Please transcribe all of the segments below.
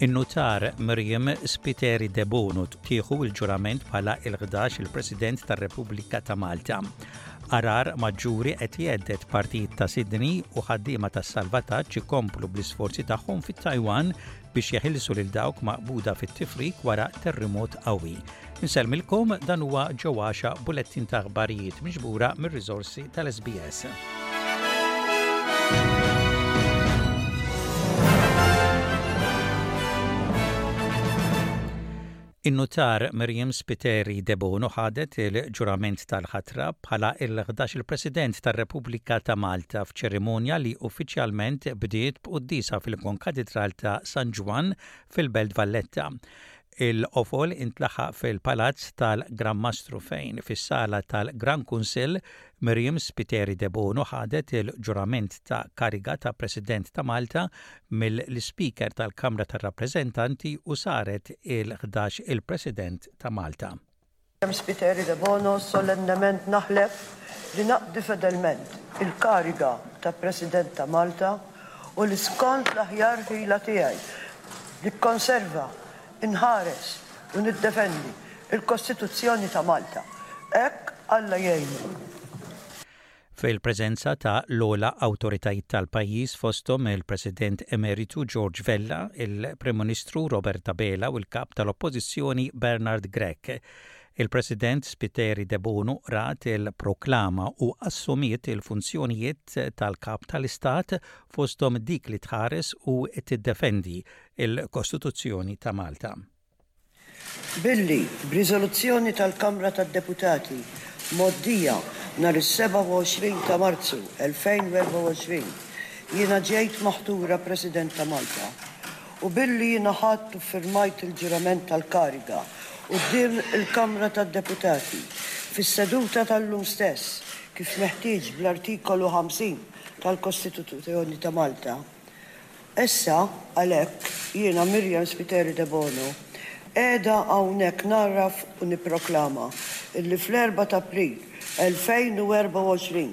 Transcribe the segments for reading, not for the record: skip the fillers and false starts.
In-Nutar Myriam Spiteri Debono tieħu l-ġurament bħala il-11 il-President tar-Repubblika ta' Malta. Għargħar maġġuri qed jhedded partijiet ta' Sydney u ħaddiema tas-salvataġġ ikomplu bl-isforzi tagħhom fit-Taiwan biex jeħilsu lil dawk maqbuda fit-tifrik wara terrimot qawwi. Insellmilkom dan huwa ġo għaxa bulettin ta' aħbarijiet miġbura mir-riżorsi tal-SBS. In-nutar Myriam Spiteri Debono ħadet il-ġurament tal-ħatra bħala il-11 il-President tar-Repubblika ta' Malta f'ċerimonja li uffiċjalment bdiet b'quddiesa fil-Konkatidral ta' San Ġwann fil-Belt Valletta. Il-qofol intlaħaq fil-Palazz tal-Gran Mastru fejn, fis-sala tal-Gran Kunsill, Myriam Spiteri Debono ħadet il-ġurament ta' kariga ta' President ta' Malta mill-Ispeaker tal-Kamra tar-Rappreżentanti u saret il-ħdax il-President ta' Malta. Myriam Spiteri Debono solennement naħlef li naqdi fedelment il-kariga ta' President ta' Malta u li skont l-aħjar ħila tiegħi nikkonserva, inħares u niddefendi l-Kostituzzjoni ta' Malta. Hekk Alla jgħinni. Fil-preżenza ta' l-ogħla awtoritajiet tal-pajjiż fosthom il-President Emeritu George Vella, il-Prim Ministru Robert Abela u l-Kap tal-Oppożizzjoni Bernard Grech. Il-President Spiteri Debono qrat il-proklama u assumiet il-funzjonijiet tal-Kap tal-Istat fosthom dik li tħares u tiddefendi l-Kostituzzjoni ta' Malta. Billi, b'riżoluzzjoni tal-Kamra tad-Deputati mgħoddija nhar is-27 ta' Marzu 2024, jiena ġejt maħtura President ta' Malta, u billi jiena ħadt u ffirmajt il-ġurament tal-kariga quddiem il-Kamra tad-Deputati fis-seduta tal-lum stess kif meħtieġ bl-Artikolu 50 tal-Kostituzzjoni ta' Malta, Issa, għalhekk, jiena Myriam Spiteri Debono, qiegħda hawnhekk ngħarraf u nipproklama illi fl-erbgħa t'April 2024,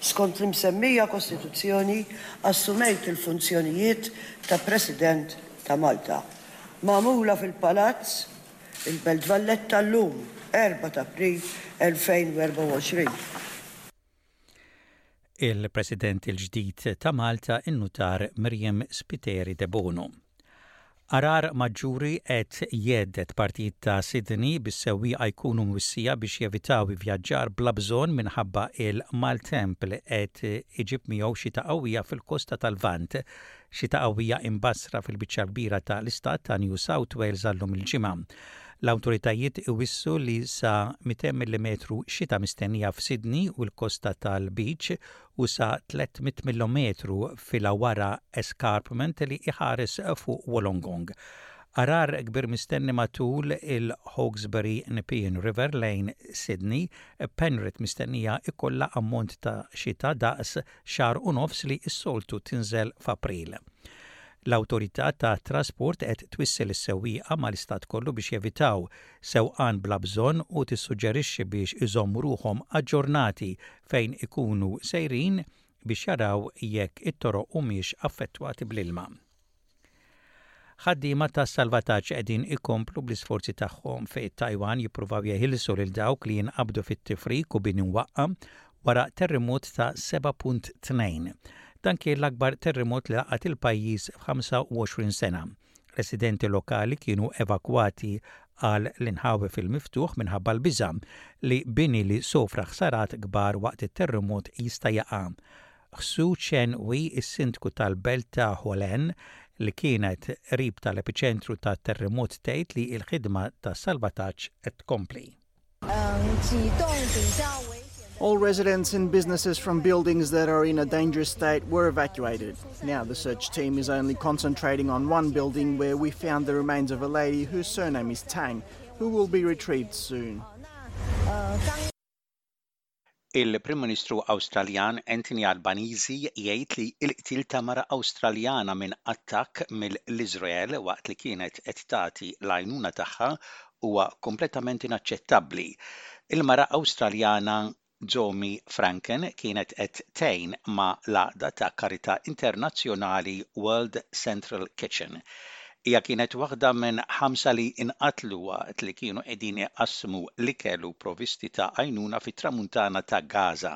skont l-imsemmija Kostituzzjoni, assumejt il-funzjonijiet ta' President ta' Malta. Magħmula fil-Palazz, il-Belt Valletta llum, 4 t'April 2024. Il-President il-ġdid ta' Malta, in-Nutar Myriam Spiteri Debono. Għargħar maġġuri qed jhedded partijiet ta' Sydney bis-sewwieqa jkunu mwissija biex jevitaw ivvjaġġar bla bżonn minħabba il-maltemp li qed iġib miegħu xita qawwija fil-kosta tal-Lvant. Xita qawwija imbassra fil-biċċa l-kbira ta' l-istat ta' New South Wales għal-lum il-Ġimgħa. L-awtoritajiet iwissu li sa 200 millimetru xita mistennija f'Sydney u l-kosta tal-Lbiċ u sa 300 millimetru fil-Illawarra Escarpment li iħares fuq Wollongong. Għargħar kbir mistenni matul il-Hawkesbury Nepean River lejn Sydney, Penrith mistennija ikollha ammont ta' xita daqs xahar u nofs li s-soltu tinżel f'April. L-Awtorità tat-Trasport qed twissi lis-sewwieqa mal-istat kollu biex jevitaw sewqan bla bżonn u tissuġġerixxi biex iżommu ruħhom aġġornati fejn ikunu sejrin biex jaraw jekk it-toroq humiex affettwati bl-ilma. Ħaddiema tas-salvataġġ qegħdin ikomplu bl-isforzi tagħhom fit-Taiwan jippruvaw jeħilsu lil dawk li jinqabdu fit-tifrik u bini mwaqqa' wara terremot ta' 7.2. Dan kien l-akbar terremot li laqat il-pajjiż f'25 sena. Residenti lokali kienu evakwati għal l-inħawi fil-miftuħ minħabba l-biża' li bini li sofra ħsarat kbar waqt it-terremot jista' jaqa'. Hsu Chen-hui, is-sindku tal-belt ta' Hualien, li kienet qrib tal-epiċentru tat-terremot tgħid li l-ħidma ta' salvataġġ qed tkompli. All residents and businesses from buildings that are in a dangerous state were evacuated. Now the search team is only concentrating on one building where we found the remains of a lady whose surname is Tang, who will be retrieved soon. Il-Prim Ministru Awstraljan Anthony Albanese jgħid li l-qtil ta' mara Awstraljana minn attakk mill-Iżrael waqt li kienet qed tagħti l-għajnuna tagħha huwa kompletament inaċċettabbli. Il-mara Awstraljana Zomi Franken kienet qed tgħin ma' l-għaqda ta' karità internazzjonali World Central Kitchen. Hija kienet waħda minn ħamsa li nqatlu waqt li kienu qegħdin iqassmu l-ikel u provvisti ta' għajnuna fit-Tramuntana ta' Gaza.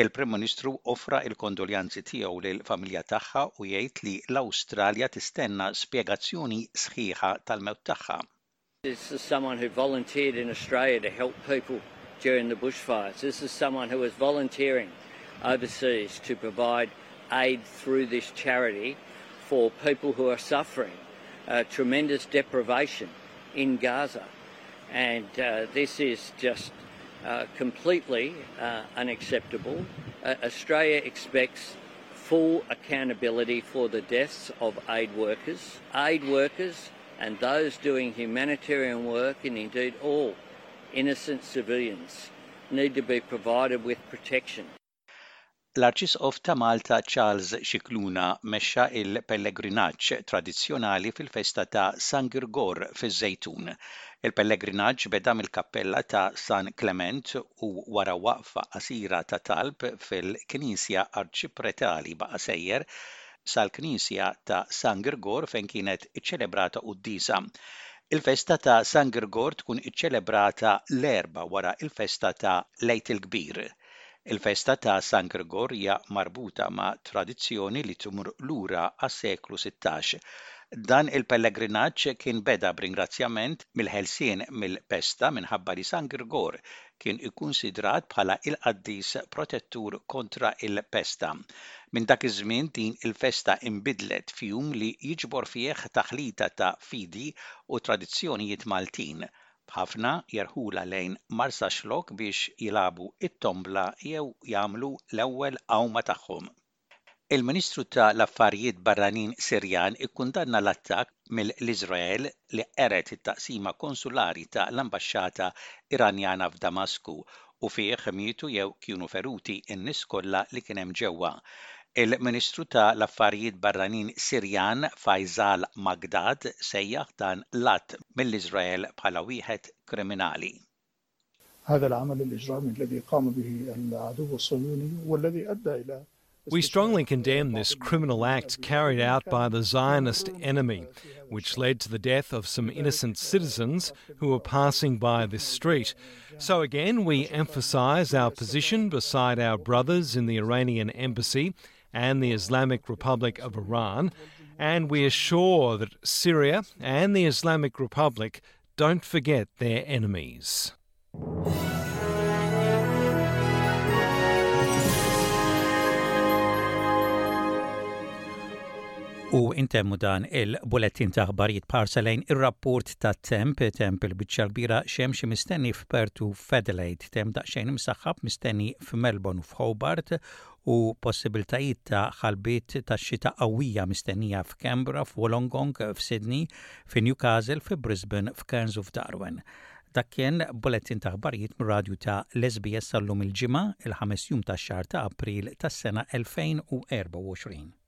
Il-Prim Ministru offra l-kondoljanzi tiegħu lill-familja tagħha u jgħid li l-Awstralja tistenna spjegazzjoni sħiħa tal-mewt tagħha. This is someone who volunteered in Australia to help people during the bushfires. This is someone who was volunteering overseas to provide aid through this charity for people who are suffering uh, tremendous deprivation in Gaza. And uh, this is just uh, completely uh, unacceptable. Uh, Australia expects full accountability for the deaths of aid workers. Aid workers and those doing humanitarian work, and indeed all innocent civilians, need to be provided with protection. L-Arċisqof ta' Malta Charles Scicluna mexxa l-pellegrinaġġ tradizzjonali fil-festa ta' San Girgor fiż-Żejtun. Il-pellegrinaġġ beda mill-kappella ta' San Klement u wara waqfa qasira ta' talb fil-Knisja Arċipretali baqa' sejjer sal-Knisja ta' San Girgor fejn kienet iċċelebrata quddiesa. Il-festa ta' San Girgor tkun iċċelebrata l-Erbgħa wara l-festa ta' l-Għid il-Kbir. Il-festa ta' San Girgor hija marbuta ma' tradizzjoni li tmur lura għas-seklu 16. Dan il-pellegrinaġġ kien beda b'ringrazzjament mill-ħelsien mill-pesta minħabba li San Girgor kien ikkunsidrat bħala il-qaddis protettur kontra il-pesta. Minn dak iż-żmien din il-festa inbidlet f'jum li jiġbor fih taħlita ta' fidi u tradizzjonijiet Maltin, b'ħafna jerħulha lejn Marsaxlokk biex jilagħbu t-tombla jew jagħmlu l-ewwel għawma tagħhom. Il-Ministru ta' l-Affarijiet Barranin Sirjan ikkundanna l-attakk mill-Iżrael li qered it-taqsima konsulari ta' l-ambaxxata Iranjana f'Damasku u fih mietu jew kienu feruti n-nies kollha li kien hemm ġewwa. Il-Ministru ta' l-Affarijiet Barranin Sirjan Faisal Maqdad sejjaħ dan l-att mill-Iżrael bħala wieħed kriminali. هذا العمل الإجرامي الذي قام به العدو الصهيوني والذي أدى إلى We strongly condemn this criminal act carried out by the Zionist enemy, which led to the death of some innocent citizens who were passing by this street. So again, we emphasize our position beside our brothers in the Iranian embassy and the Islamic Republic of Iran, and we assure that Syria and the Islamic Republic don't forget their enemies. U intemmu dan il-bulettin ta' aħbarijiet b'ħarsa lejn ir-rapport ta' temp, temp il-biċċa kbira xemx mistenni f'Perth u f'Adelaide, temp daqsxejn imsaħħab mistenni f'Melbourne u f'Hobart u possibiltajiet ta' ħalbiet ta' xita qawwija mistennija f'Canberra, f'Wollongong, f'Sydney, fi Newcastle, fi Brisbane, f'Cairns u f'Darwin. Dak kien bulettin ta' aħbarijiet mir-radju ta' l-SBS għal-lum il-Ġimgħa, il-ħames jum tax-xahar ta' April tas-sena 2024.